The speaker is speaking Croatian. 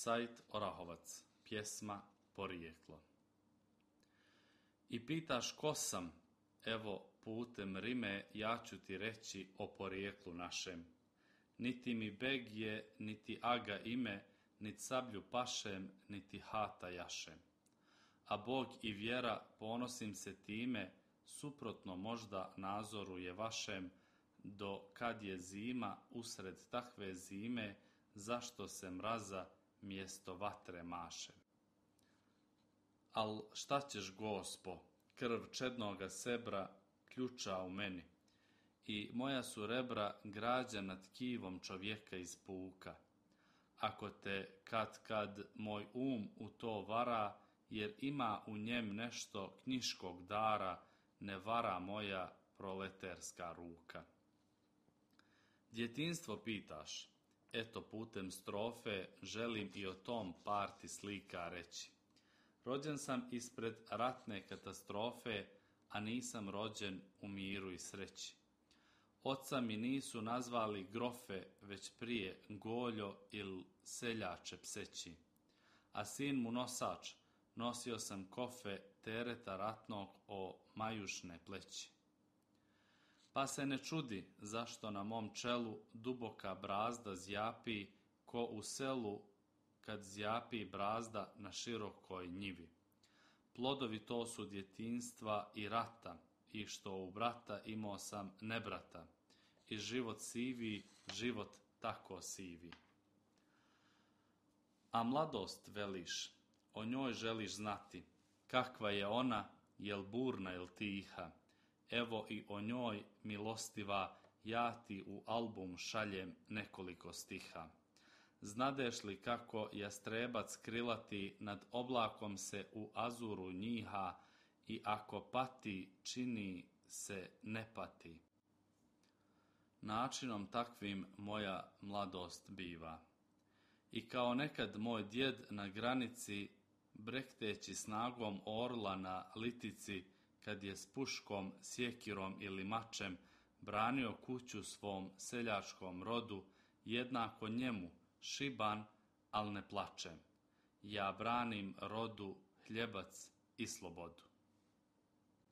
Said Orahovac, pjesma Porijeklo. I pitaš ko sam, evo putem rime ja ću ti reći o porijeklu našem. Niti mi beg je, niti aga ime, niti sablju pašem, niti hata jašem. A Bog i vjera, ponosim se time, suprotno možda nazoru je vašem, do kad je zima usred takve zime, zašto se mraza mjesto vatre maše. Al šta ćeš, Gospo, krv čednoga sebra ključa u meni, i moja su rebra građa nad tkivom čovjeka iz puka. Ako te kad moj u to vara, jer ima u njem nešto knjiškog dara, ne vara moja proleterska ruka. Djetinstvo pitaš, eto putem strofe želim i o tom par ti slika reći. Rođen sam ispred ratne katastrofe, a nisam rođen u miru i sreći. Oca mi nisu nazvali grofe, već prije goljo il seljače pseći. A sin mu nosač, nosio sam kofe tereta ratnog o majušne pleći. Pa se ne čudi zašto na mom čelu duboka brazda zjapi, ko u selu kad zjapi brazda na širokoj njivi. Plodovi to su djetinjstva i rata, i što u brata imao sam nebrata, i život sivi, život tako sivi. A mladost veliš, o njoj želiš znati, kakva je ona, jel burna, jel tiha. Evo i o njoj, milostiva, ja ti u album šaljem nekoliko stiha. Znadeš li kako jastrebac krilati nad oblakom se u azuru njiha, i ako pati, čini se ne pati. Načinom takvim moja mladost biva. I kao nekad moj djed na granici, brekteći snagom orla na litici, kad je s puškom, sjekirom ili mačem branio kuću svom seljačkom rodu, jednako njemu, šiban, al ne plačem. Ja branim rodu, hljebac i slobodu.